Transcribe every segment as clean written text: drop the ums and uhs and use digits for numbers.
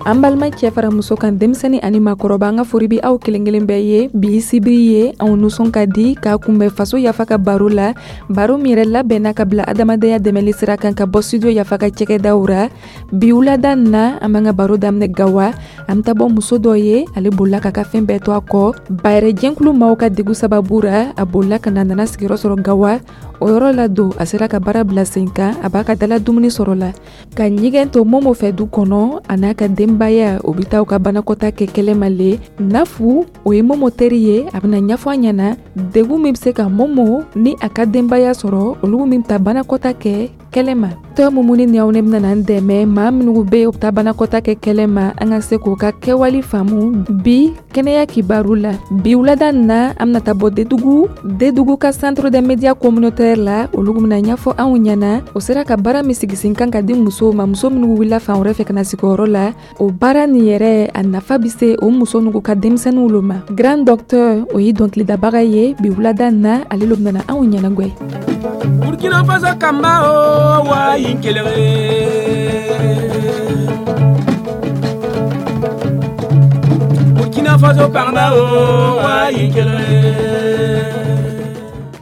An balima cɛ fara muso kan, denmisɛnnin ani maakɔrɔba, an ka fori bi aw kelen kelen bɛɛ ye. Bi sibiri ye, anw nisɔn ka di k'a kunbɛn Faso Yafa ka baro la, baro min yɛrɛ labɛnna ka bila adamadenya dɛmɛli sira kan ka bɔ Studio Yafa ka cɛkɛdaw ra. Bi wulada na, an b'an ka baro daminɛ Gawa. An bɛ taa bɔ muso dɔ ye, ale bolila k'a ka fɛn bɛɛ to a kɔ bayɛrɛ jɛnkulu maaw ka degu sababu ra. A bolila ka na, nana sigiyɔrɔ sɔrɔ Gawa. O yɔrɔ la don, a sera ka baara bila sen kan, a b'a ka dala dumuni sɔrɔ la ka ɲɛgɛn to Momo fɛ du kɔnɔ. A n'a ka denbaya, o bɛ taa u ka banakɔta kɛ kɛlɛma le. Nafu, o ye Momo teri ye, a bɛna ɲɛfɔ an ɲɛna degun min bɛ se ka Momo ni a ka denbaya sɔrɔ, olu min bɛ taa banakɔta kɛ kɛlɛma. Tɔ Mumuni ni aw ne bɛna an dɛmɛ, maa minnu bɛ yen, u bɛ taa banakɔta kɛ kɛlɛma, an ka se k'u ka kɛwale faamu. Bi kɛnɛya kibaru la, bi wulada na, an bɛna taa bɔ Dedugu, Dedugu ka centre des médias communautaires la. Olu bɛna ɲɛfɔ anw ɲɛna o sera ka baara min sigi sen kan ka di musow ma, muso minnu wulila fan wɛrɛ fɛ ka na sigi o yɔrɔ la. O baara nin yɛrɛ, a nafa bɛ se o muso ninnu ka denmisɛnninw lo ma. Grand Docteur, o ye dɔnkilidabaga ye. Bi wulada na, ale lo bɛna anw ɲɛnagwɛ. Burkina Faso kamba o wa yinkelewe. Burkina Faso kamba o wa yinkelewe.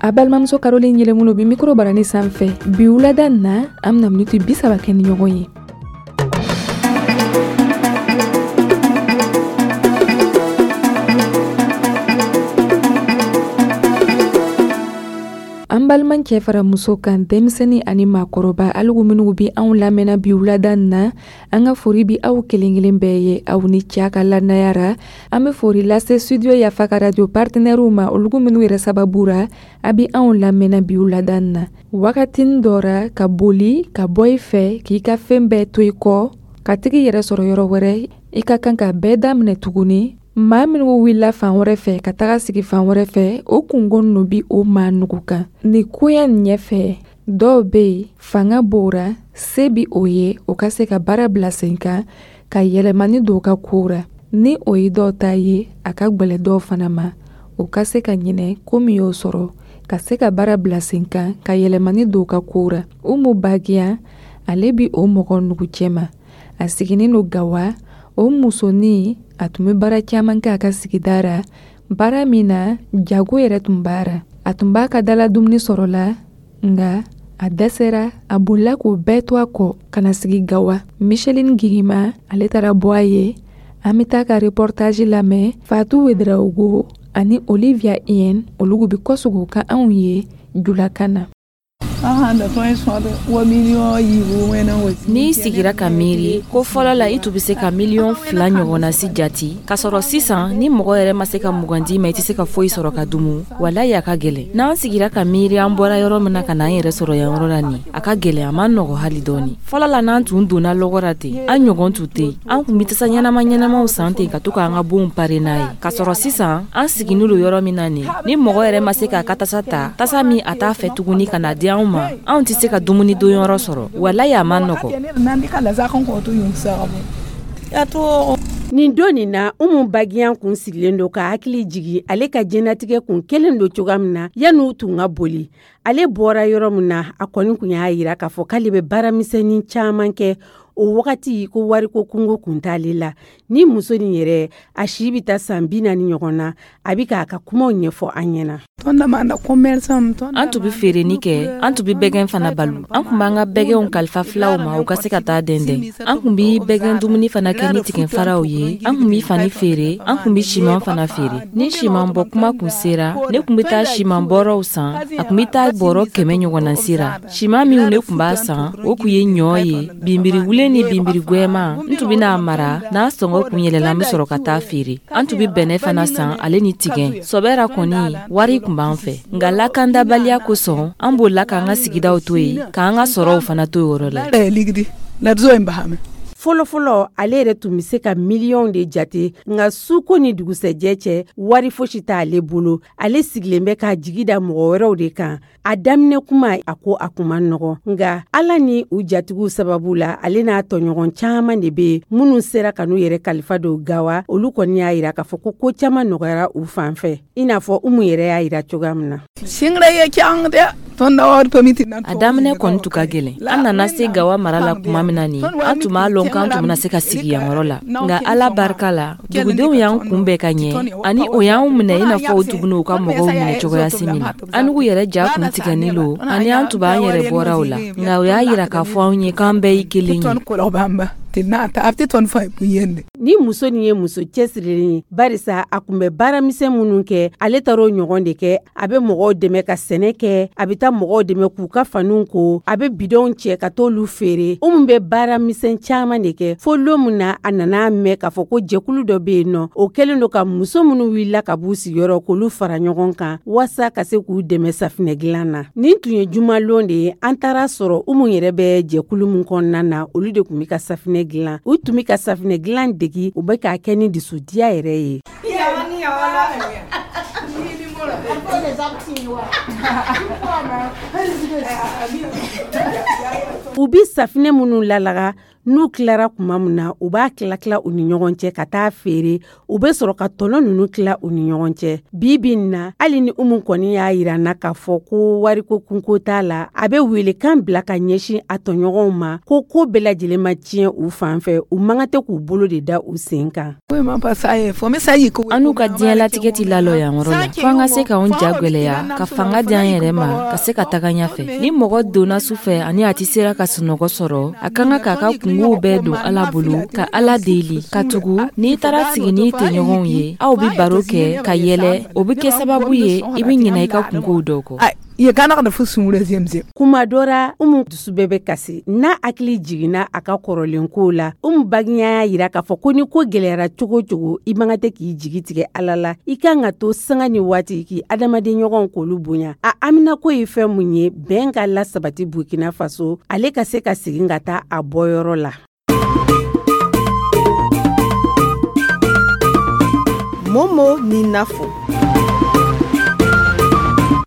A balimamuso Caroline Yɛlɛmulu bi micro barani sanfɛ. Bi wulada na, an bɛna miniti 30 kɛ ni ɲɔgɔn ye. An balima cɛ fara muso kan, denmisɛnnin ani maakɔrɔba, aligu minnu bi anw lamɛnna bi wulada na, an ka fori bi aw kelen kelen bɛɛ ye. Aw ni cɛ ka lannaya ra. An bɛ fori lase Studio Yafa ka radio partenaires ma, olugu minnu yɛrɛ sababu ra a bi anw lamɛnna bi wulada na. Wagatinin dɔ ra, ka boli ka bɔ i fɛ k'i ka fɛn bɛɛ to i kɔ ka tigi yɛrɛ sɔrɔ yɔrɔ wɛrɛ, i ka kan ka bɛɛ daminɛ tuguni. Maa minnu wulila fan wɛrɛ fɛ ka taga sigi fan wɛrɛ fɛ, o kungo ninnu bi o maa nugu kan nin koya nin ɲɛfɛ. Dɔw bɛ yen, fanga b'o ra, se bi o ye, o ka se ka baara bila sen kan ka yɛlɛmani don u ka kow ra. Ni o ye dɔw ta ye, a ka gwɛlɛ dɔw fana ma, o ka se ka ɲinɛ ko min y'o sɔrɔ ka se ka baara bila sen kan ka yɛlɛmani don u ka kow ra. Umu Bagiya, ale bi o mɔgɔ nugu cɛma. A sigilen don Gawa. O musonin, a tun bɛ baara caman kɛ a ka sigida ra, baara min na jago yɛrɛ tun b'a ra. A tun b'a ka dala dumuni sɔrɔ la, nka a dɛsɛra, a bolila k'o bɛɛ to a kɔ ka na sigi Gawa. Micheline Gigima, ale taara bɔ a ye. An bɛ taa ka reportage lamɛn. Fatou Ouedraogo ani Olivia Ien, olu bɛ kɔsegin ka anw ye julakan na. N'i sigira ka miiri ko fɔlɔ la, i tun bɛ se ka miliyɔn 2 ɲɔgɔnna si jati, k'a sɔrɔ sisan ni mɔgɔ yɛrɛ ma se ka 20 d'i ma, i tɛ se ka foyi sɔrɔ ka dumu, walayi a ka gɛlɛn. N'an sigira ka miiri an bɔra yɔrɔ min na ka n'an yɛrɛ sɔrɔ yan yɔrɔ la nin, a ka gɛlɛn, a ma nɔgɔ hali dɔɔni. Fɔlɔ la, n'an tun donna lɔgɔ la ten, an ɲɔgɔn tun tɛ yen. An tun bɛ tasa ɲɛnama ɲɛnamaw san ten ka to k'an ka bonw pare n'a ye, k'a sɔrɔ sisan an siginnen don yɔrɔ min na nin, ni mɔgɔ yɛrɛ ma se k'a ka tasa ta, tasa min a t'a fɛ tuguni, ka na di anw ma, anw tɛ se ka dumuni don yɔrɔ sɔrɔ. Walayi a ma nɔgɔ. Nin don nin na, Umu Bagiyan kun sigilen don ka hakili jigi ale ka diɲɛnatigɛ kun kelen don cogoya min na yan'u tun ka boli. Ale bɔra yɔrɔ min na, a kɔni kun y'a yira k'a fɔ k'ale bɛ baaramisɛnnin caman kɛ o wagati, ko wariko kungo kun t'ale la. Ni muso nin yɛrɛ, a si bɛ taa san 40 ɲɔgɔn na. A bɛ k'a ka kumaw ɲɛfɔ an ɲɛna. An tun bɛ feereni kɛ, an tun bɛ bɛgɛn fana balo. An tun b'an ka bɛgɛnw kalifa filaw ma, u ka se ka taa dɛndɛn. An tun bɛ bɛgɛn dumuni fana kɛ ni tigɛfaraw ye. An tun bɛ fani feere, an tun bɛ siman fana feere. Ni siman bɔ kuma kun sera, ne tun bɛ taa siman bɔrɔw san. A tun bɛ taa bɔrɔ 100 ɲɔgɔnna sira. Siman minnu ne tun b'a san, o tun ye ɲɔ ye, binbiriwulen ni binbiri gwɛman. N tun bɛna a mara, n'a sɔngɔ kun yɛlɛla, n bɛ sɔrɔ ka taa feere. An tun bɛ bɛnɛ fana san, ale ni tigɛ. Sɔbɛ ra kɔni, wari tun b'an fɛ, nka lakandabaliya kosɔn, an bolila k'an ka sigidaw to yen, k'an ka sɔrɔw fana to yɔrɔ la. Fɔlɔfɔlɔ, ale yɛrɛ tun bɛ se ka miliyɔn de jate, nka suko ni dugusɛjɛ cɛ, wari fosi t'ale bolo. Ale sigilen bɛ k'a jigi da mɔgɔ wɛrɛw de kan. A daminɛ kuma, a ko a kun ma nɔgɔ, nka Ala ni u jatigiw sababu la, ale n'a tɔɲɔgɔn caman de bɛ yen minnu sera ka n'u yɛrɛ kalifa don Gawa. Olu kɔni y'a yira k'a fɔ ko ko caman nɔgɔyara u fan fɛ, i n'a fɔ Umu yɛrɛ y'a yira cogoya min na. A daminɛ kɔni tun ka gɛlɛn. An nana se Gawa mara la tuma min na nin, an tun b'a lɔn k'an tun bɛna se ka sigi yan yɔrɔ la. Nka Ala barika la, dugudenw y'an kunbɛn ka ɲɛ, ani o y'anw minɛ i n'a fɔ u tun bɛna u ka mɔgɔw minɛ cogoyasi min na. An yɛrɛ ja kun tigɛni lo, ani an tun b'an yɛrɛ bɔra o la. Nka o y'a yira k'a fɔ anw ye k'an bɛɛ ye kelen ye. Ni muso nin ye muso cɛsirilen ye, barisa a kun bɛ baaramisɛn minnu kɛ, ale taara o ɲɔgɔn de kɛ. A bɛ mɔgɔw dɛmɛ ka sɛnɛ kɛ, a bɛ taa mɔgɔw dɛmɛ k'u ka faniw ko, a bɛ bidɔnw cɛ ka t'olu feere. Umu bɛ baaramisɛn caman de kɛ, fo lon min na a nana mɛn k'a fɔ ko jɛkulu dɔ bɛ yen nɔ, o kɛlen don ka muso minnu wulila ka b'u sigiyɔrɔ k'olu fara ɲɔgɔn kan waasa ka se k'u dɛmɛ safinɛ dilan na. Nin tun ye jumalon de ye, an taara sɔrɔ Umu yɛrɛ bɛ jɛkulu min kɔnɔna na, olu de tun bɛ ka safinɛ dilan. U tun bɛ ka safinɛ dilan degi, u bɛ k'a kɛ ni dusudiya yɛrɛ ye. U bɛ safinɛ minnu lalaga, n'u tilara tuma min na, u b'a tila-tila u ni ɲɔgɔn cɛ ka taa feere. U bɛ sɔrɔ ka tɔnɔ ninnu tila u ni ɲɔgɔn cɛ. Bi bi in na, hali ni Umu kɔni y'a yira n na k'a fɔ ko wariko kunko t'a la, a bɛ welekan bila ka ɲɛsin a tɔɲɔgɔnw ma ko ko bɛɛ lajɛlen ma tiɲɛ u fan fɛ, u man kan tɛ k'u bolo de da u sen kan. An n'u ka diɲɛlatigɛ tɛ lalɔ yan yɔrɔ la, fo an ka se k'anw ja gwɛlɛya, ka fanga di an yɛrɛ ma, ka se ka taga ɲɛfɛ. Ni mɔgɔ donna su fɛ ani a tɛ sera ka sunɔgɔ sɔrɔ, a ka kan k'a ka kungow bɛɛ don Ala bolo, ka Ala deli, ka tugu n'i taara sigi n'i tɔɲɔgɔnw ye, aw bɛ baro kɛ ka yɛlɛ, o bɛ kɛ sababu ye i bɛ ɲinɛ i ka kungow dɔw kɔ. Kuma dɔ ra, Umu dusu bɛɛ bɛ kasi n'a hakili jiginna a ka kɔrɔlen kow la. Umu Bagiyan y'a yira k'a fɔ ko ni ko gɛlɛyara cogo o cogo, i man kan tɛ k'i jigi tigɛ Ala la. I kan ka to sanga ni waati k'i adamaden ɲɔgɔnw k'olu bonya. A haminako ye fɛn mun ye, bɛn ka lasabati Burkina Faso, ale ka se ka segin ka taa a bɔyɔrɔ la. Momo ni Nafo.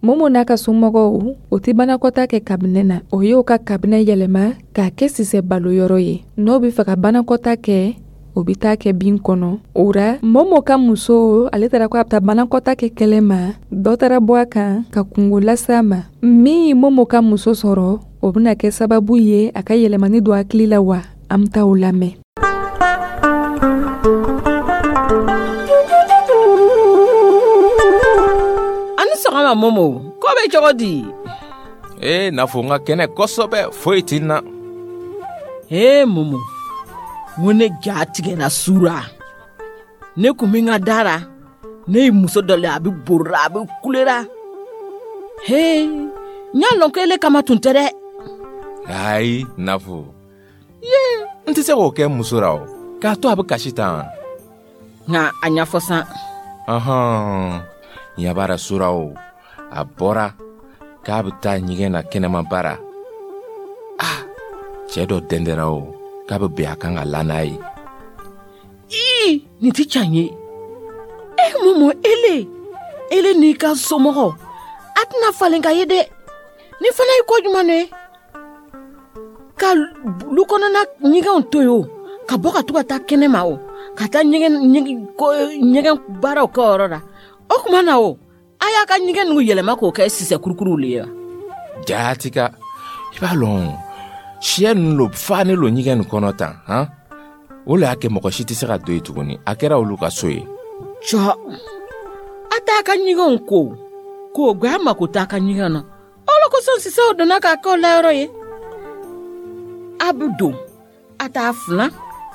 Momo n'a ka somɔgɔw, o tɛ banakɔta kɛ kabinɛ na. O y'o ka kabinɛ yɛlɛma k'a kɛ sisɛ balo yɔrɔ ye. N'o bɛ fɛ ka banakɔta kɛ, o bɛ taa kɛ bin kɔnɔ. O ra, Momo ka muso, ale taara ko a bɛ taa banakɔta kɛ kɛlɛ ma, dɔ taara bɔ a kan ka kungo lase a ma. Min ye Momo ka muso sɔrɔ, o bɛna kɛ sababu ye a ka yɛlɛmani don hakili la wa? An bɛ taa o lamɛn. Ani sɔgɔma Momo, ko bɛ cogo di? Ee Nafo, n ka kɛnɛ kosɛbɛ, foyi tɛ n na. Ee Momo, n ko ne ja tigɛra sura. Ne kun bɛ n ka da la, ne ye muso dɔ le, a bɛ borira, a bɛ kulera. He, n y'a lɔn ko ele kama tun tɛ dɛ. Ayi Nafo, ye n tɛ se k'o kɛ muso ra o, k'a to a bɛ kasi tan. Nka a ɲɛfɔ san. Ɔhɔn, ɲɛ b'a la sura o, a bɔra k'a bɛ taa ɲɛgɛn na kɛnɛma baara. Ah, cɛ dɔ dɛndɛra o, k'a bɛ bɛn a kan ka la n'a ye. Ii, nin tɛ can ye. E Momo, ele n'i ka somɔgɔ, a tɛna falen ka ye dɛ. Nin fana ye ko jumɛn ye? Ka lu kɔnɔna ɲɛgɛnw to yen o, ka bɔ ka to ka taa kɛnɛma o, ka taa ɲɛgɛn baaraw kɛ o yɔrɔ la. O tuma na o, a y'a ka ɲɛgɛn ninnu yɛlɛma k'o kɛ sisɛ kurukuruw le ye wa? Jaati ka, i b'a lɔn, siyɛ ninnu lo fa ne lo ɲɛgɛn nin kɔnɔ tan, han? O le y'a kɛ mɔgɔ si tɛ se ka don yen tuguni, a kɛra olu ka so ye. Cɔ, a t'a ka ɲɛgɛnw ko, k'o gbɛ a mako t'a ka ɲɛgɛn na. O le kosɔn sisɛw donna k'a kɛ o layɔrɔ ye. A bɛ don, a t'a filan,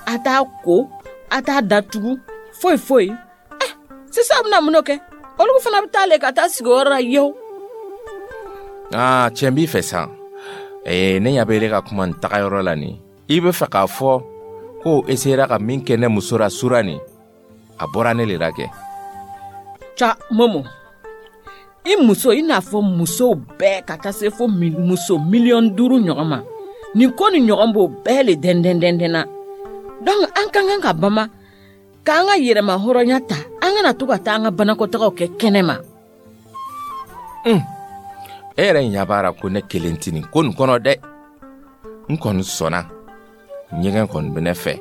a t'a ko, a t'a datugu, foyi foyi. Sisan bɛna mun kɛ? Olu fana bɛ taa le ka taa sigi o yɔrɔ la yew. Aa, tiɲɛ b'i fɛ san. Ee, ne ɲɛ bɛ ele ka kuma nin taga yɔrɔ la nin. I bɛ fɛ k'a fɔ ko e sera ka min kɛ ne muso la sura nin, a bɔra ne le la kɛ. Ca, Momo, i muso i n'a fɔ musow bɛɛ ka taa se fo muso 5 miliyɔn ɲɔgɔn ma. Nin ko ni ɲɔgɔn b'o bɛɛ le dɛndɛn na. Donc an ka kan ka bama k'an ka yɛrɛma hɔrɔnya ta, an kana to ka taa an ka banakɔtagaw kɛ kɛnɛ ma. E yɛrɛ ɲɛ b'a la ko ne kelen tɛ nin ko nin kɔnɔ dɛ. N kɔni sɔnna, ɲɛgɛn kɔni bɛ ne fɛ.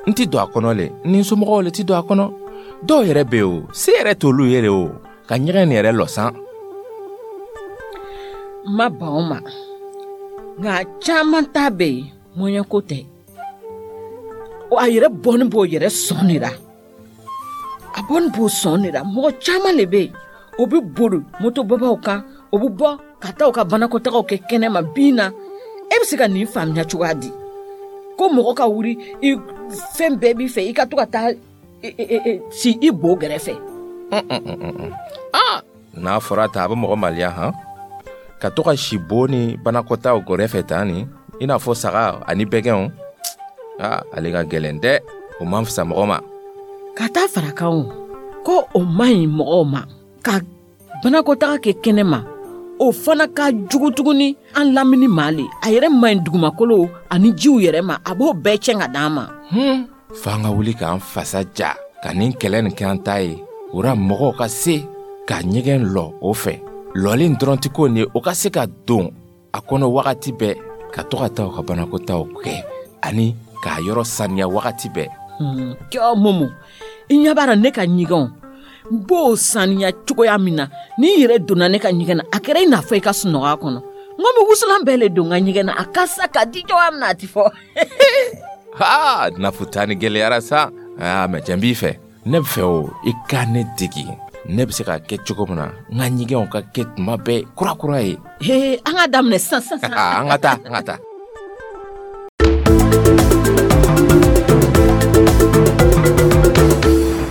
N tɛ don a kɔnɔ le, n ni n somɔgɔw le tɛ don a kɔnɔ. Dɔw yɛrɛ bɛ yen o, se yɛrɛ t'olu ye o, ka ɲɛgɛn nin yɛrɛ lɔ san. Ma ban o ma, nka caman ta bɛ yen, mɔɲɛko tɛ. A yɛrɛ bɔni b'o yɛrɛ sɔn de la, a bɔni b'o sɔn de la. Mɔgɔ caman de bɛ yen, o bɛ boli motobabaw kan, o bɛ bɔ ka taa u ka banakɔtagaw kɛ kɛnɛma bin na. E bɛ se ka nin faamuya cogoya di ko mɔgɔ ka wuli, i fɛn bɛɛ b'i fɛ, i ka to ka taa si i bo gɛrɛfɛ? N'a fɔra ta, a bɛ mɔgɔ maliya han, ka to ka si bo ni banakɔtaw gɛrɛfɛ tan nin, i n'a fɔ saga ani bɛgɛnw. Aa, ale ka gɛlɛn dɛ, o man fisa mɔgɔ ma. Ka taa fara kan o, ko o man ɲi mɔgɔw ma ka banakɔtaga kɛ kɛnɛ ma. O fana ka jugu tuguni an lamini ma le. A yɛrɛ man ɲi dugumakolo ani jiw yɛrɛ ma, a b'o bɛɛ cɛn ka d'an ma. F'an ka wuli k'an fasa ja ka nin kɛlɛ nin kɛ an ta ye. O ra, mɔgɔw ka se ka ɲɛgɛn lɔ o fɛ. Lɔlen dɔrɔn tɛ ko nin ye, o ka se ka don a kɔnɔ wagati bɛɛ, ka to ka taa u ka banakɔtaw kɛ ani k'a yɔrɔ saniya wagati bɛɛ. Kɛ Momo, i ɲɛ b'a la, ne ka ɲɛgɛnw, n b'o saniya cogoya min na, n'i yɛrɛ donna ne ka ɲɛgɛn na, a kɛra i n'a fɔ i ka sunɔgɔ a kɔnɔ. N ko n bɛ wusulan bɛɛ le don n ka ɲɛgɛn na, a kasa ka di cogoya min na, a ti fɔ. Ha, nafu ta ni gɛlɛyara sa. Aa, mɛ cɛ, n b'i fɛ, ne bɛ fɛ o, i ka ne degi ne bɛ se k'a kɛ cogo min na, n ka ɲɛgɛnw ka kɛ tuma bɛɛ kurakura ye. He, an ka daminɛ sisan sisan. An ka taa, an ka taa.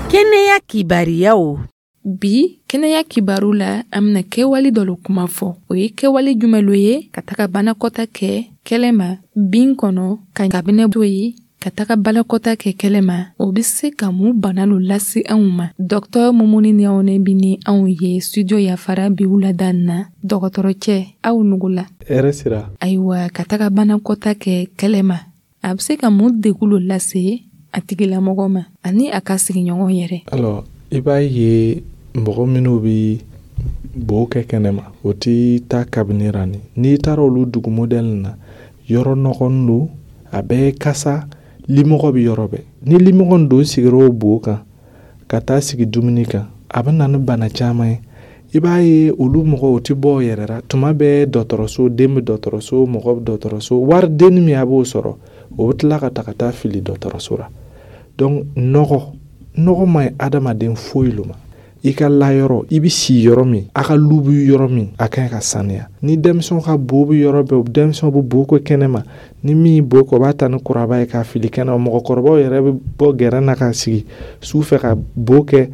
Kɛnɛya kibariyaw. Bi kɛnɛya kibaru la, an bena kɛwale dɔ lo kuma fɔ. O ye kɛwale jumɛn lo ye? Ka taga banakɔta kɛ kɛlɛ ma bin kɔnɔ, ka kabinɛ to yen ka taga balakɔta kɛ kɛlɛ ma, o be se ka mun bana lo lase anw ma? Dɔktɔr Mumuni Ɲawone bi ni anw ye studio Yafara bi wulada na. Dɔgɔtɔrɔ cɛ, aw nugula. Hɛrɛ sira. Ayiwa, ka taga banakɔta kɛ kɛlɛ ma, a be se ka mun degu lo lase a tigilamɔgɔ ma ani a ka sigiɲɔgɔn yɛrɛ? Alors, i b'a ye, mɔgɔ minnu bi bo kɛ kɛnɛma, o ti taa kabini ra. Ni n'i taara olu dugu modèle na, yɔrɔ nɔgɔnin don, a bɛɛ kasa, limɔgɔ bɛ yɔrɔ bɛɛ. Ni limɔgɔ don sigira o bo kan ka taa sigi dumuni kan, a bɛ na ni bana caman ye. I b'a ye, olu mɔgɔw, o ti bɔ o yɛrɛ la. Tuma bɛɛ dɔgɔtɔrɔso, den bɛ dɔgɔtɔrɔso, mɔgɔ bɛ dɔgɔtɔrɔso. Wari denni min a b'o sɔrɔ, o bɛ tila ka ta ka taa fili dɔgɔtɔrɔso la. Donc nɔgɔ man ɲi adamaden foyi lo ma. I ka layɔrɔ, i bɛ si yɔrɔ min, a ka lu bɛ yɔrɔ min, a ka ɲi ka saniya. Ni denmisɛnw ka bo bɛ yɔrɔ bɛɛ, denmisɛnw bɛ bo kɛ kɛnɛ ma. Ni min bo kɛ, o b'a ta ni kuraba ye k'a fili kɛnɛ ma. Mɔgɔkɔrɔbaw yɛrɛ bɛ bɔ gɛrɛn na ka sigi su fɛ ka bo kɛ.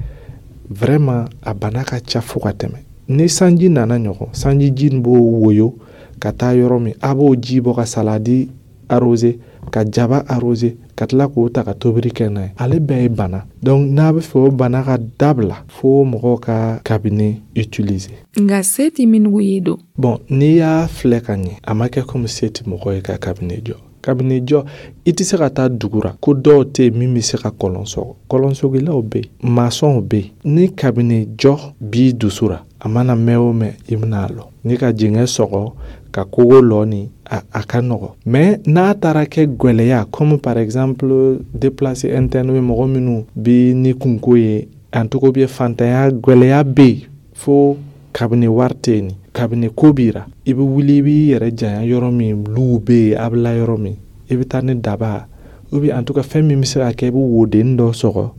Vraiment, a bana ka ca fo ka tɛmɛ. Ni sanji nana ɲɔgɔn, sanji ji nin b'o woyo ka taa yɔrɔ min, a b'o ji bɔ ka saladi arroser, ka jaba arroser, ka tila k'o ta ka tobili kɛ n'a ye, ale bɛɛ ye bana. Donc n'a bɛ fɛ o bana ka dabila, fo mɔgɔw ka cabinet utiliser. Nka se ti minnu ye don? Bon, n'i y'a filɛ ka ɲɛ, a ma kɛ komi se ti mɔgɔ ye ka cabinet jɔ. Cabinet jɔ, i tɛ se ka taa dugu ra ko dɔw tɛ yen min bɛ se ka kɔlɔn sɔgɔ. Kɔlɔnsɔgilaw bɛ yen, masɔnw bɛ yen. Ni cabinet jɔ b'i dusu ra, a mana mɛn o mɛn, i bɛna a lɔ ni ka jɛngɛ sɔgɔ ka kogo lɔ ni a ka nɔgɔ. Mais n'a taara kɛ gwɛlɛya, comme par exemple déplacé interne bɛ mɔgɔ minnu bi ni kunko ye, en tout cas bɛ fantanya gwɛlɛya bɛ yen, fo kabini wari tɛ yen, kabini ko b'i ra, i bɛ wuli, i b'i yɛrɛ janya yɔrɔ min luw bɛ yen, a bɛ la yɔrɔ min, i bɛ taa ni daba ou bien en tout cas fɛn min bɛ se ka kɛ, i bɛ woden dɔ sɔgɔ.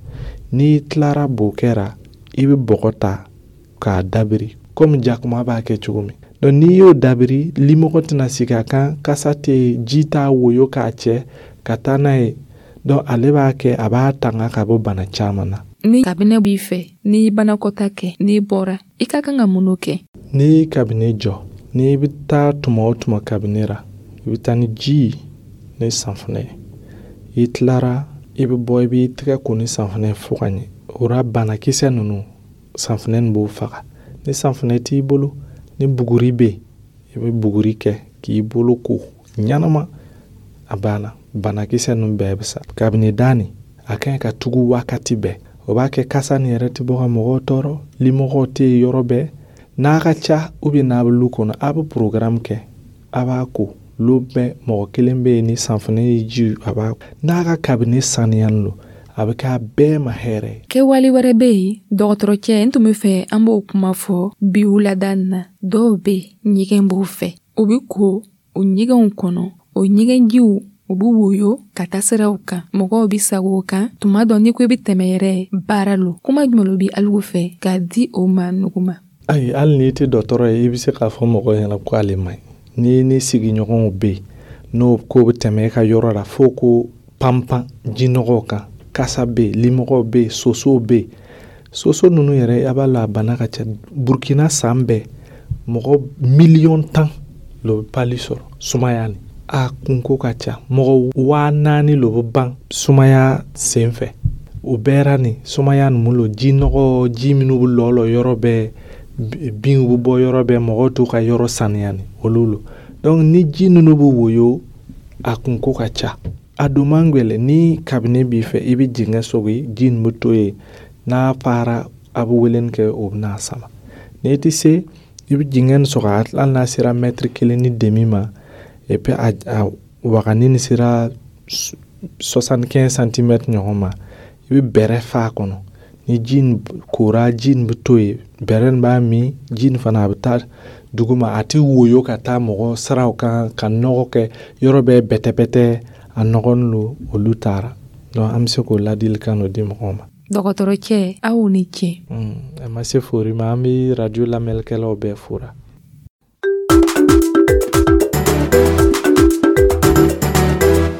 N'i tilara bo kɛra, i bɛ bɔgɔ ta k'a dabiri komi jakuma b'a kɛ cogo min. Donc n'i y'o dabiri, limɔgɔ tɛna sigi a kan, kasa tɛ yen, ji t'a woyo k'a cɛ ka taa n'a ye. Donc ale b'a kɛ, a b'a tanga ka bɔ bana caman na. Ni kabinɛ b'i fɛ, n'i banakɔta kɛ, n'i bɔra, i ka kan ka mun kɛ? N'i kabinɛ jɔ, n'i bɛ taa tuma o tuma kabinɛ ra, i bɛ taa ni ji ni sanfunɛ ye. I tilara, i bɛ bɔ, i b'i tɛgɛ ko ni sanfunɛ fo ka ɲɛ. O ra, banakisɛ ninnu, sanfunɛ nin b'o faga. Ni sanfunɛ t'i bolo, ni buguri bɛ yen, i bɛ buguri kɛ k'i bolo ko ɲɛnama, a banna, banakisɛ ninnu bɛɛ bɛ sa. Kabini da nin, a ka ɲi ka tugu wagati bɛɛ. O b'a kɛ kasa nin yɛrɛ tɛ bɔ ka mɔgɔw tɔɔrɔ, limɔgɔw tɛ yen yɔrɔ bɛɛ. N'a ka ca ou bien n'a bɛ lu kɔnɔ, a bɛ programme kɛ, a b'a ko lu bɛɛ, mɔgɔ kelen bɛ yen ni sanfunɛ ye ji, a b'a n'a ka kabini saniyalen don. A bɛ k'a bɛɛ ma hɛrɛ ye. Kɛwale wɛrɛ bɛ yen, dɔgɔtɔrɔcɛ, n tun bɛ fɛ an b'o kuma fɔ bi wulada in na. Dɔw bɛ yen, ɲɛgɛn b'u fɛ, u bɛ ko o ɲɛgɛnw kɔnɔ, o ɲɛgɛnjiw u bɛ woyo ka taa siraw kan, mɔgɔw bɛ sago o kan. Tuma dɔ, n'i ko i bɛ tɛmɛ yɛrɛ, baara lo. Kuma jumɛn lo bɛ alu fɛ k'a di o ma nugu ma? Ayi, hali n'i tɛ dɔgɔtɔrɔ ye, i bɛ se k'a fɔ mɔgɔ ɲɛna ko ale man ɲi. Ni ni sigiɲɔgɔnw bɛ yen, n'o ko bɛ tɛmɛ e ka yɔrɔ la, fo ko panpan jinɔgɔw kan, kasa bɛ yen, limɔgɔw bɛ yen, sosow bɛ yen. Soso ninnu yɛrɛ, a b'a la, a bana ka ca. Burukina, san bɛɛ, mɔgɔ 10 miliyɔn lo bɛ palu sɔrɔ sumaya ni a kunko ka ca. Mɔgɔ 4000 lo bɛ ban sumaya sen fɛ. O bɛɛ ra nin sumaya ninnu lo, jinɔgɔ, ji minnu bɛ lɔ lɔ yɔrɔ bɛɛ, binw bɛ bɔ yɔrɔ bɛɛ, mɔgɔw t'u ka yɔrɔ saniya ni olu lo. Donc ni ji ninnu bɛ woyo, a kunko ka ca, a don man gwɛlɛ. Ni kabini b'i fɛ, i bɛ dingɛ sogi, ji nin bɛ to yen. N'a fara, a bɛ weleni kɛ, o bɛ n'a sama. N'i tɛ se, i bɛ dingɛ nin sɔgɔ, hali n'a sera mètre 1,5 ma, et puis a wagani nin sera 75 centimètres ɲɔgɔn ma, i bɛ bɛrɛ fa a kɔnɔ. Ni ji nin kora, ji nin bɛ to yen, bɛrɛ nin b'a min, ji nin fana a bɛ taa duguma, a tɛ woyo ka taa mɔgɔ siraw kan ka nɔgɔ kɛ yɔrɔ bɛɛ bɛtɛbɛtɛ. A nɔgɔnin lo, olu taara. Donc an bɛ se k'o ladilikan dɔ di mɔgɔw ma. Dɔgɔtɔrɔcɛ, aw ni ce. A ma se fori ma, an bɛ radio lamɛnnikɛlaw bɛɛ fora.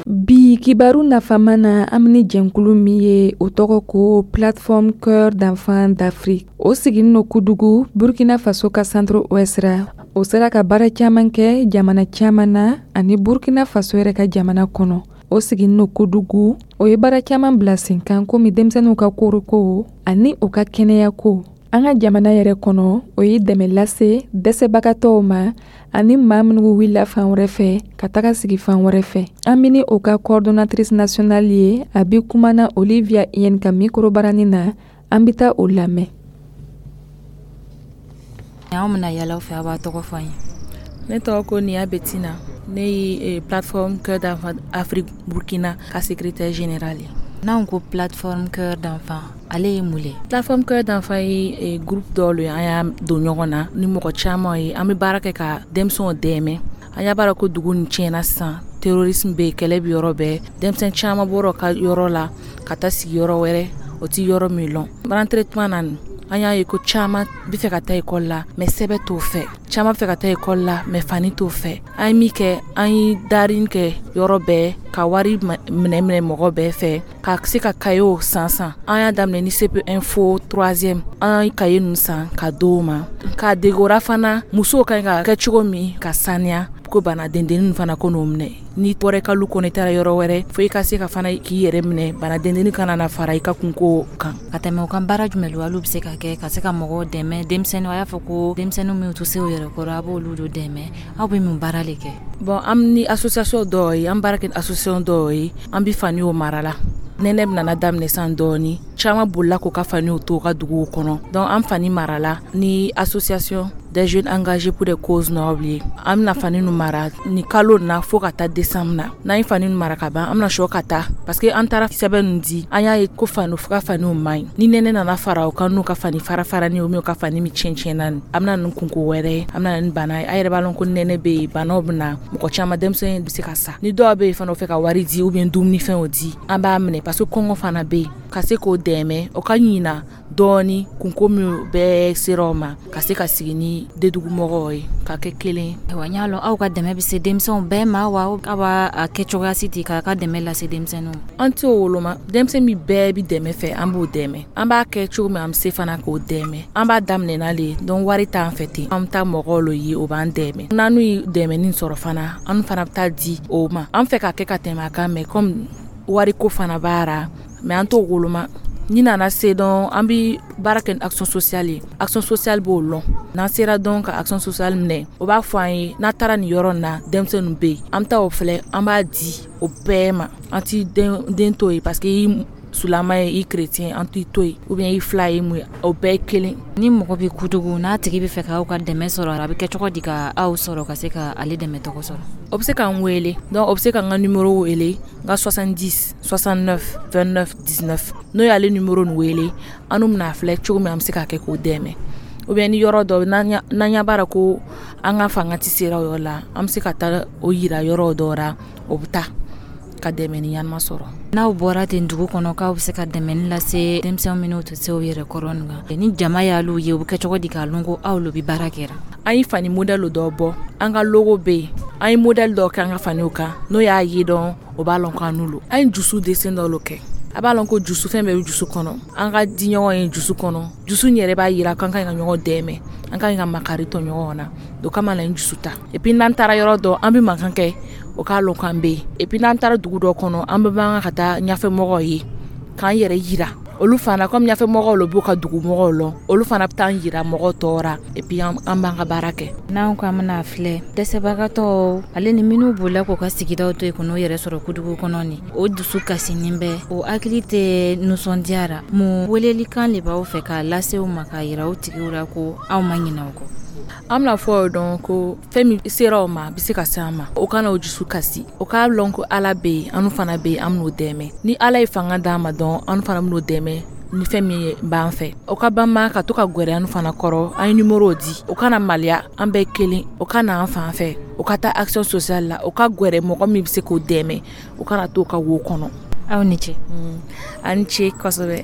Bi kibaru nafama na, an bɛ ni jɛnkulu min ye, o tɔgɔ ko Plateforme Cœur d'Enfants d'Afrique. O siginin no Kudugu, Burkina Faso ka centre ouest ra. O sera ka baara caman kɛ jamana caman na ani Burkina Faso yɛrɛ ka jamana kɔnɔ. O siginin no Kudugu. O ye baara caman bila sen kan, komi denmisɛnninw ka koroko ani u ka kɛnɛyako. An ka jamana yɛrɛ kɔnɔ, o ye dɛmɛ lase dɛsɛbagatɔw ma ani maa minnu wulila fan wɛrɛ fɛ ka taga sigi fan wɛrɛ fɛ. An bɛ ni o ka coordonnatrice nationale ye. A bɛ kumana Olivia Yen ka micro barani na. An bɛ taa o lamɛn. Anw bɛna yala fɛ, a b'a tɔgɔ fɔ an ye. Ne tɔgɔ ko Niya Betina. Ne ye Plateforme Cœur d'Enfants Afrique Burkina ka secrétaire général ye. N'anw ko Plateforme Cœur d'Enfants, ale ye mun le? Plateforme Cœur d'Enfants ye groupe dɔw le, an y'a don ɲɔgɔn na ni mɔgɔ caman ye. An bɛ baara kɛ ka denmisɛnw dɛmɛ. An y'a b'a ko dugu nin tiɲɛna sisan, terrorisme bɛ yen, kɛlɛ bɛ yɔrɔ bɛɛ. Denmisɛn caman bɔra ka yɔrɔ la ka taa sigi yɔrɔ wɛrɛ, o ti yɔrɔ min lɔn. Rentrée tuma na, an y'a ye ko caman bɛ fɛ ka taa ekɔli la, mais sɛbɛ t'o fɛ. Caman bɛ fɛ ka taa ekɔli la, mais fani t'o fɛ. An ye min kɛ, an ye darin kɛ yɔrɔ bɛɛ ka wari minɛ minɛ mɔgɔ bɛɛ fɛ ka se ka kayew san san. An y'a daminɛ ni CP1 fo 3e. An ye kaye ninnu san ka d'o ma ka degora fana musow ka ɲi ka kɛ cogo min ka saniya, ko bana dendennin fana ko n'o minɛ. N'i bɔra i ka lu kɔnɔ, i taara yɔrɔ wɛrɛ, fo i ka se ka fana k'i yɛrɛ minɛ, bana dendennin kana na fara i ka kunko kan. Ka tɛmɛ o kan, baara jumɛn lo olu bɛ se ka kɛ ka se ka mɔgɔw dɛmɛ? Denmisɛnninw, a y'a fɔ ko denmisɛnninw minnu tɛ se u yɛrɛ kɔrɔ, a b'olu do dɛmɛ. Aw bɛ mun baara le kɛ? Bon, an ni association dɔw ye, an baara kɛ ni association dɔw ye. An bɛ faniw mara la. Nɛnɛ nana daminɛ san dɔɔni, caman bolila k'u ka faniw to u ka duguw kɔnɔ. Donc an fani marala ni Association des jeunes engagés pour des causes nobles ye. An bɛna fani ninnu mara ni kalo na fo ka taa décembre na. N'an ye fani ninnu mara ka ban, an bɛna sɔ ka taa, parce que an taara sɛbɛn ninnu di, an y'a ye ko fani ka faniw man ɲi. Ni nɛnɛ nana fara o kan, n'u ka fani fara farani o min ka fani min tiɲɛ tiɲɛna nin, an bɛna nin kunko wɛrɛ ye, an bɛna nin bana ye. A yɛrɛ b'a lɔn ko nɛnɛ bɛ yen, banaw bɛ na mɔgɔ caman, denmisɛnnin bɛ se ka sa. Ni dɔw bɛ yen fana, o fɛ ka wari di ou bien dumunifɛnw di, an b'a minɛ, parce que kɔngɔ fana bɛ yen. Ka se k'o dɛmɛ, o ka ɲina dɔɔni kunko min bɛɛ sera o ma, ka se ka sigi ni dedugumɔgɔw ye ka kɛ kelen. Ayiwa, n y'a lɔn aw ka dɛmɛ bɛ se denmisɛnw bɛɛ ma wa, aw b'a kɛ cogoya si ten k'a ka dɛmɛ lase denmisɛnninw ma? An t'o woloma. Denmisɛn min bɛɛ bɛ dɛmɛ fɛ, an b'o dɛmɛ. An b'a kɛ cogo min, an bɛ se fana k'o dɛmɛ. An b'a daminɛ n'ale ye. Donc wari t'an fɛ ten, an bɛ taa mɔgɔw lo ye, o b'an dɛmɛ. N'an ye dɛmɛni sɔrɔ fana, an fana bɛ taa di o ma. An fɛ ka kɛ ka tɛmɛ a kan, mais comme wariko fana b'a ra, mais an t'o woloma. Ni nana se dɔn, an bɛ baara kɛ ni action sociale ye. Action sociale b'o lɔn. N'an sera dɔn ka action sociale minɛ, o b'a fɔ an ye n'a taara nin yɔrɔ in na, denmisɛnninw bɛ yen, an bɛ taa o filɛ, an b'a di o bɛɛ ma. An ti den to yen, parce que i sulama ye, i chrétien, an t'i to yen, ou bien i fila ye mun ye, o bɛɛ ye kelen. Ni mɔgɔ bɛ Kudugu, n'a tigi bɛ fɛ k'aw ka dɛmɛ sɔrɔ, a bɛ kɛ cogo di ka aw sɔrɔ ka se ka ale dɛmɛ tɔgɔ sɔrɔ? O bɛ se k'an wele. Donc o bɛ se k'an ka numéro wele, n ka 70 69 29 19. N'o y'ale numéro nin wele, an n'u bɛna filɛ cogo min an bɛ se k'a kɛ k'o dɛmɛ. Ou bien ni yɔrɔ dɔ n'an ɲɛ b'a la ko an ka fanga tɛ sera o yɔrɔ la, an bɛ se ka taa o yira yɔrɔ dɔ la, o bɛ taa ka dɛmɛ ni ɲanama sɔrɔ. N'aw bɔra ten dugu kɔnɔ k'aw bɛ se ka dɛmɛni lase denmisɛnw minnu tɛ se u yɛrɛ kɔrɔ nin kan, ni jama y'alu ye, u bɛ kɛ cogo di k'a lɔn ko aw lo bɛ baara kɛra? An ye fani modèle dɔ bɔ, an ka logo bɛ yen, an ye modèle dɔ kɛ an ka faniw kan, n'o y'a ye dɔn, o b'a lɔn k'an n'u lo. An ye dusu dessin dɔ lo kɛ. A b'a lɔn ko dusu fɛn bɛɛ bɛ dusu kɔnɔ. An ka di ɲɔgɔn ye dusu kɔnɔ. Dusu yɛrɛ b'a yira k'an ka ɲi ka ɲɔgɔn dɛmɛ, an ka ɲi ka makari tɔ ɲɔgɔn na. O kama la n dusu ta. Et puis n'an taara yɔrɔ dɔ, an bɛ mankan kɛ, o k'a lɔn k'an bɛ yen. Et puis n'an taara dugu dɔ kɔnɔ, an bɛ man ka taa ɲɛfɛmɔgɔw ye k'an yɛrɛ yira. Olu fana, comme ɲɛfɛmɔgɔw lo b'u ka dugumɔgɔw lɔn, olu fana bɛ taa yira mɔgɔw tɔw ra. Et puis an b'an ka baara kɛ. N'anw ko an bɛna filɛ dɛsɛbagatɔw ale ni minnu bolila k'u ka sigidaw to yen k'u yɛrɛ sɔrɔ Kudugu kɔnɔ nin, o dusu kasinin bɛ, o hakili tɛ nisɔndiya ra. Mun welelikan de b'aw fɛ k'a lase u ma k'a yira u tigiw la ko aw ma ɲinɛ u kɔ? An bɛna fɔ o dɔn ko fɛn min sera o ma, a bɛ se ka se an ma. O kana o dusu kasi, o k'a lɔn ko Ala bɛ yen, an fana bɛ yen, an bɛn'o dɛmɛ. Ni Ala ye fanga d'an ma dɔn, an fana bɛn'o dɛmɛ ni fɛn min b'an fɛ. O ka banba ka to ka gwɛrɛ an fana kɔrɔ, an ye numéro di. O kana maloya, an bɛɛ kelen. O ka na an fan fɛ, o ka taa action sociale la, o ka gwɛrɛ mɔgɔ min bɛ se k'o dɛmɛ, o kana to ka wo kɔnɔ. Aw ni ce. Aw ni ce kosɛbɛ.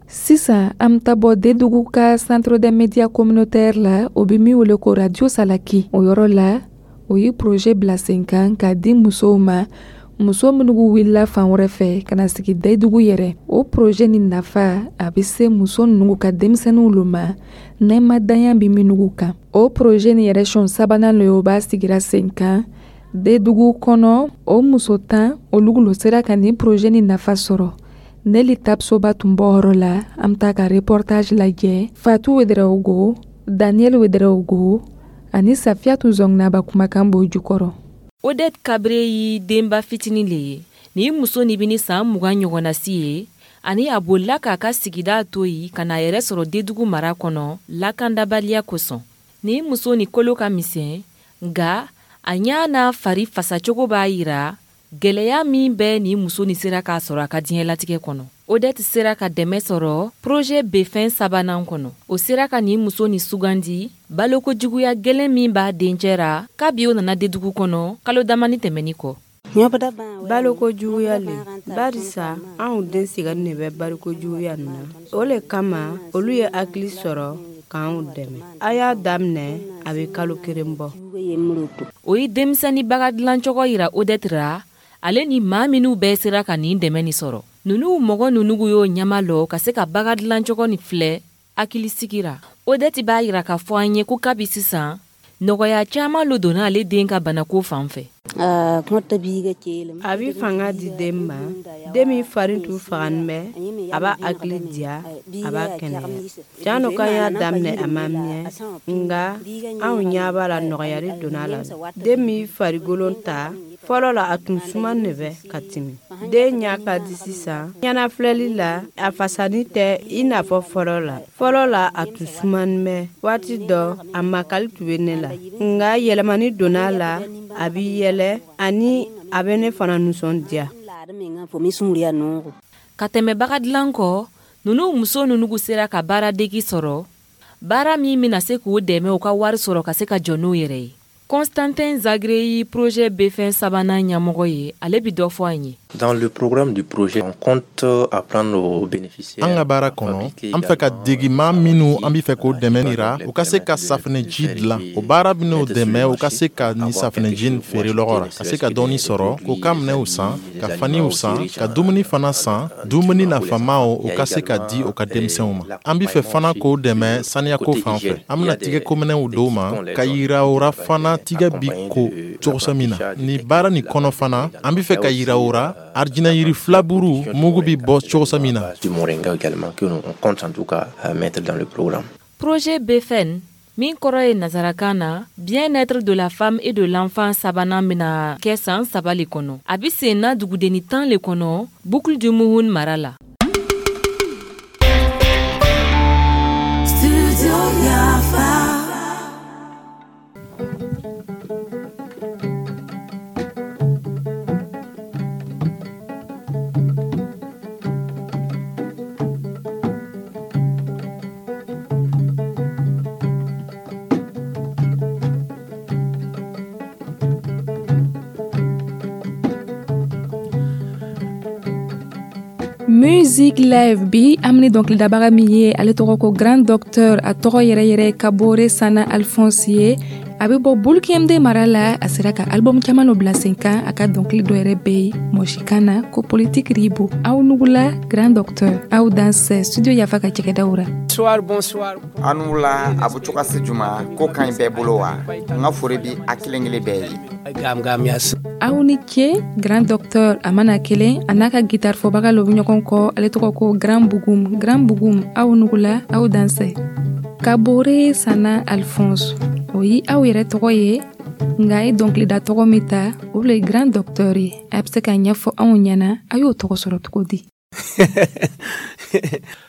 Sisan an bɛ taa bɔ Dedugu ka centre des médias communautaires la, o bɛ min wele ko radio Salaki. O yɔrɔ la, o ye projet bila sen kan k'a di musow ma, muso minnu wulila fan wɛrɛ fɛ ka na sigi Dedugu yɛrɛ. O projet nin nafa a bɛ se muso ninnu ka denmisɛnninw lo ma, nɛmadanya bɛ minnu kan. O projet nin yɛrɛ siɲɛ sabanan lo ye, o b'a sigira sen kan Dedugu kɔnɔ. O muso 10 olu lo sera ka nin projet nin nafa sɔrɔ. Neli Tapsoba tun bɔ yɔrɔ la, an bɛ taa ka reportage lajɛ. Fatou Ouedraogo, Daniel Ouedraogo ani Safiatou Zongnaba kumakan b'o jukɔrɔ. Odette Kabre ye denba fitinin le ye. Nin muso nin bɛ ni san 20 ɲɔgɔnna si ye, ani a bolila k'a ka sigida to yen ka n'a yɛrɛ sɔrɔ Dedugu mara kɔnɔ lakandabaliya kosɔn. Nin muso nin kolo ka misɛn, nka a ɲa n'a fari fasacogo b'a yira gɛlɛya min bɛ nin muso nin sera k'a sɔrɔ a ka diɲɛlatigɛ kɔnɔ. Odette sera ka dɛmɛ sɔrɔ projet Befɛn sabanan kɔnɔ. O sera ka nin muso nin sugandi baloko juguya gɛlɛn min b'a dencɛ ra kabi o nana Dedugu kɔnɔ kalo damani tɛmɛni kɔ. Baloko juguya le, barisa anw den sɛgɛnnin de bɛ baloko juguya nin na. O le kama olu ye hakili sɔrɔ k'anw dɛmɛ. A y'a daminɛ, a bɛ kalo 1 bɔ. O ye denmisɛnnin baga dilancogo yira Odette ra, ale ni maa minnu bɛɛ sera ka nin dɛmɛ nin sɔrɔ. Ninnu mɔgɔ ninnu y'o ɲɛma lɔ ka se ka baga dilancogo nin filɛ hakili sigira. Odette b'a yira k'a fɔ an ye ko kabi sisan nɔgɔya caman lo donna ale den ka banako fan fɛ. A bɛ fanga di den ma, den min fari tun faganin bɛ, a b'a hakili diya, a b'a kɛnɛya. Janni k'an y'a daminɛ a ma mɛn, nka anw ɲɛ b'a la nɔgɔyali donna a la. Den min farikolo ta, fɔlɔ la a tun sumanin de bɛ ka tɛmɛ. Den ɲɛ ka di sisan, ɲɛnafilɛli la, a fasani tɛ i n'a fɔ fɔlɔ la. Fɔlɔ la a tun sumanin bɛ, waati dɔ a makali tun bɛ ne la. Nka yɛlɛmani donna a la, a bɛ yɛlɛ ani a bɛ ne fana nisɔndiya. Ka tɛmɛ baga dilan kɔ, ninnu muso ninnu sera ka baaradegi sɔrɔ, baara min bɛna se k'u dɛmɛ u ka wari sɔrɔ ka se ka jɔ n'u yɛrɛ ye. Constantin Zagré ye projet Befɛn sabanan ɲɛmɔgɔ ye, ale bɛ dɔ fɔ an ye. Dans le programme du projet, on compte apprendre aux bénéficiaires. An ka baara kɔnɔ, an fɛ ka degi maa minnu an bɛ fɛ k'o dɛmɛ nira, u ka se ka safunɛji dilan. O baara bɛn'o dɛmɛ u ka se ka nin safunɛji nin feere lɔgɔ ra, ka se ka dɔɔni sɔrɔ, k'u ka minɛnw san, ka faniw san, ka dumuni fana san, dumuni nafamaw u ka se ka di u ka denmisɛnw ma. An bɛ fɛ fana k'o dɛmɛ saniyako fan fɛ. An bɛna tigɛkominɛnw d'u ma, ka yira u ra fana tigɛ bi ko cogo min na. Nin baara nin kɔnɔ fana, an bɛ fɛ ka yira u ra arijinɛ yiri filaburu mugu bɛ bɔ cogo min na. Du moringa également que nous on compte en tout cas mettre dans le programme. Projet Befɛn Min kɔrɔ ye nazarakan na bien-être de la femme et de l'enfant sabanan bɛna kɛ san 3 le kɔnɔ. A bɛ sen na dugudenni 10 le kɔnɔ Boucle du Mouhoun mara la. Music Live bi an bɛ ni dɔnkilidabaga min ye, ale tɔgɔ ko Grand Docteur. A tɔgɔ yɛrɛ yɛrɛ Kabore Sana Alphonse ye. A bɛ bɔ Boulkiemdé mara la. A sera ka album caman dɔ bila sen kan. A ka dɔnkili dɔ yɛrɛ bɛ yen mɔsikan na ko politique ribo. Aw nugula Grand Docteur, aw dansɛ studio Yafa ka cɛkɛdaw ra. Bonsoir, bonsoir. Aw ni wula, a bɛ cogo si juma ko ka ɲi bɛɛ bolo wa? N ka foli bi a kelen kelen bɛɛ ye. Aw ni ce Grand Docteur. A mana kelen a n'a ka guitare fɔbaga lo bɛ ɲɔgɔn kɔ, ale tɔgɔ ko Grand Bugum. Grand Bugum, aw nugula, aw dansɛ. Kabore Sana Alphonse, o ye aw yɛrɛ tɔgɔ ye, nka ye dɔnkilida tɔgɔ min ta, o le ye Grand Docteur ye. A bɛ se ka ɲɛfɔ anw ɲɛna a y'o tɔgɔ sɔrɔ cogo di?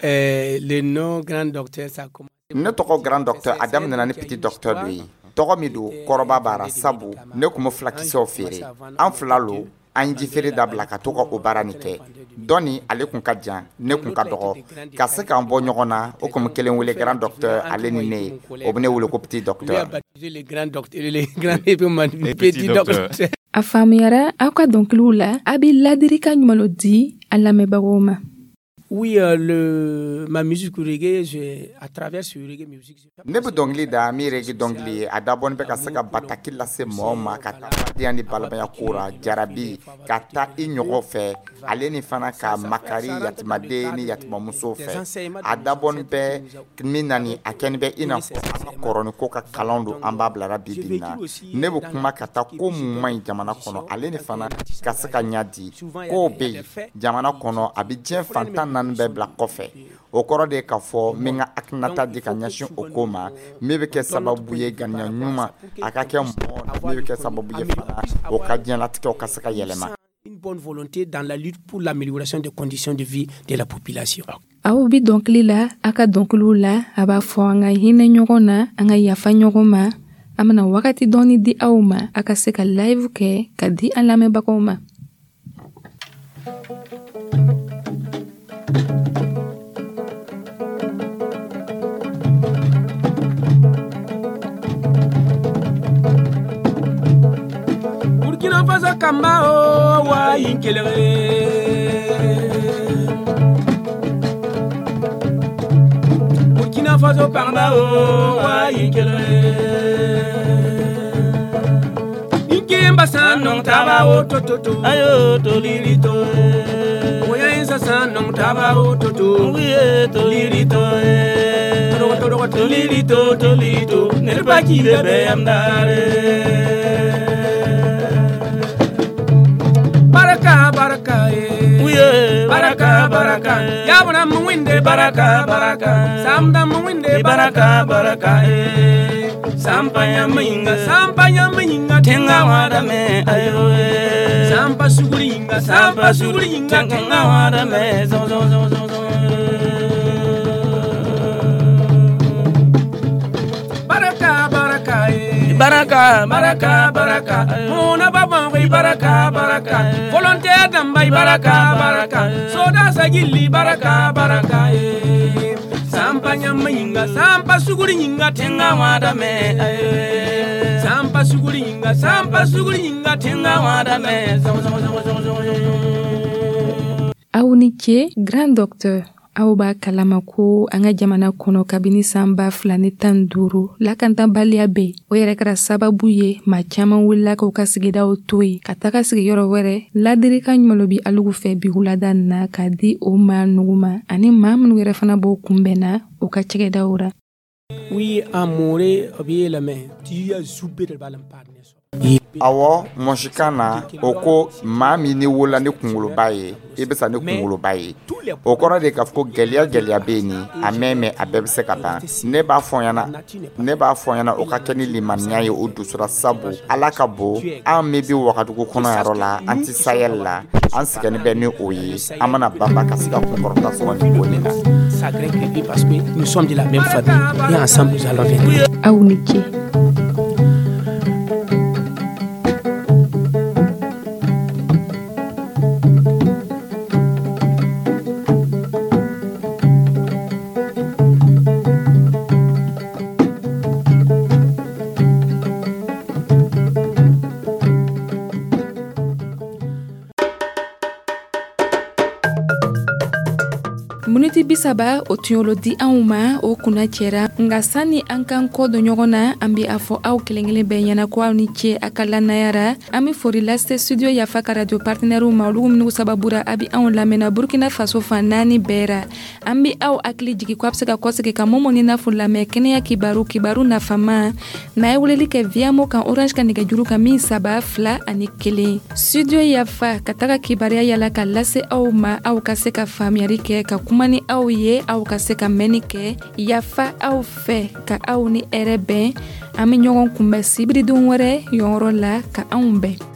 Le nom Grand Docteur, ça commence. Ne tɔgɔ Grand Docteur, a daminɛna ni Petit Docteur dɔ ye. Tɔgɔ min don, kɔrɔba b'a ra, sabu ne tun bɛ fulakisɛw feere. An fila lo, an ye jifeere dabila ka to ka o baara nin kɛ. Dɔɔni ale kun ka jan, ne kun ka dɔgɔ. Ka se k'an bɔ ɲɔgɔn na, o kun bɛ kelen wele Grand Docteur, ale ni ne, o bɛ ne wele ko Petit Docteur. Le Grand Docteur, le Grand et Petit Docteur. A faamuyara aw ka dɔnkiliw la, a bɛ ladilikan ɲuman lo di an lamɛnbagaw ma. Oui, ma musique reggae, à travers ce reggae music. Ne bɛ dɔnkili da min reggae dɔnkili ye, a dabɔnin bɛ ka se ka bataki lase mɔgɔw ma ka taa badenya ni balimaya ko ra, jarabi ka taa i ɲɔgɔn fɛ, ale ni fana ka makari yatimaden ni yatimamuso fɛ. A dabɔnin bɛ min na ni a kɛnin bɛ i n'a fɔ an ka kɔrɔni ko ka kalan don, an b'a bilara bi bi in na. Ne bɛ kuma ka taa ko mun man ɲi jamana kɔnɔ, ale ni fana ka se ka ɲɛ di. Kow bɛ yen jamana kɔnɔ, a bɛ diɲɛ fantan naani bɛɛ bila kɔfɛ. O kɔrɔ de ye k'a fɔ n bɛ n ka hakilinata di ka ɲɛsin o ko ma, min bɛ kɛ sababu ye ŋaniya ɲuman a ka kɛ mɔgɔ, min bɛ kɛ sababu ye fana o ka diɲɛlatigɛw ka se ka yɛlɛma. Une bonne volonté dans la lutte pour l'amélioration des conditions de vie de la population. Aw bi dɔnkili la, a ka dɔnkiliw la, a b'a fɔ an ka hinɛ ɲɔgɔn na, an ka yafa ɲɔgɔn ma. An bɛna wagati dɔɔni di aw ma, a ka se ka live kɛ ka di an lamɛnbagaw ma. Burkina Faso kamba o wa inkelere. Burkina Faso kamba o wa inkelere. Inkemba sanong taba o tototo. Ayo tolirito. Oya insa sanong taba o toto. Uye tolirito. Toro tolirito tolito. Nerpa ki bebe amdare. Baraka baraka eh. Baraka baraka yabona mwinde baraka baraka samda mwinde baraka baraka eh. Sampa yaminga sampa yaminga tenga wada me ayo eh. Sampa suguringa sampa suguringa tenga wada me zo zo zo zo zo. Baraka baraka eh. Baraka baraka baraka mona baba baraka baraka volontaire damba baraka baraka soda sagili baraka baraka eh. Sampa nyaminga sampa suguringa tenga wada me eh. Sampa suguringa sampa suguringa tenga wada me zo zo zo zo zo. Aw ni ce Grand Docteur. Aw b'a kalama ko an ka jamana kɔnɔ kabini san 2015 lakantabaliya bɛ yen. O yɛrɛ kɛra sababu ye maa caman wulila k'u ka sigidaw to yen ka taga sigiyɔrɔ wɛrɛ. Ladilikan ɲuman dɔ bi alugu fɛ bi wulada nin na k'a di o maa nugu ma ani maa minnu yɛrɛ fana b'o kunbɛnna u ka cakɛdaw ra. Oui, amore, obi la me, ti ya zube de balam parne so. Ɔwɔ, mɔsikan na, o ko maa min ni wolola ni kunkoloba ye, i bɛ sa ni kunkoloba ye. O kɔrɔ de k'a fɔ ko gɛlɛya gɛlɛya bɛ yen nin a mɛn mɛn, a bɛɛ bɛ se ka ban. Ne b'a fɔ ɲɛna, o ka kɛ ni limaniya ye o dusura, sabu Ala ka bon. An min bɛ Wagadugu kɔnɔ yɔrɔ la, an tɛ Sahel la, an sɛgɛnnen bɛ ni o ye. An mana banba ka se ka kunkɔrɔta sɔrɔ nin ko nin na. Parce que nous sommes de la même famille et ensemble nous allons vaincre. Aw ni ce. Miniti 30 o tun y'olu di anw ma, o kunna cɛra. Nka sanni an k'an kɔ don ɲɔgɔn na, an bɛ a fɔ aw kelen-kelen bɛɛ ɲɛna ko aw ni ce a ka lannaya ra. An bɛ fori lase Studio Yafa ka radio partenaires ma, olu minnu sababura a bɛ anw lamɛnna Burkina Faso fan naani bɛɛ ra. An bɛ aw hakili jigi ko a bɛ se ka kɔsegin ka Momo ni Nafu lamɛn, kɛnɛya kibaru, kibaru nafama n'a ye weleli kɛ Viamo kan, Orange ka nɛgɛjuru kan min 3 2 1. Studio Yafa ka taga kibaruya yala ka lase aw ma, aw ka se ka faamuyali kɛ, ka kuma ni aw ye, aw ka se ka mɛnni kɛ. Yafa aw fɛ ka aw ni hɛrɛ bɛn. An bɛ ɲɔgɔn kunbɛn sibiridon wɛrɛ yɔrɔ la. Ka anw bɛn.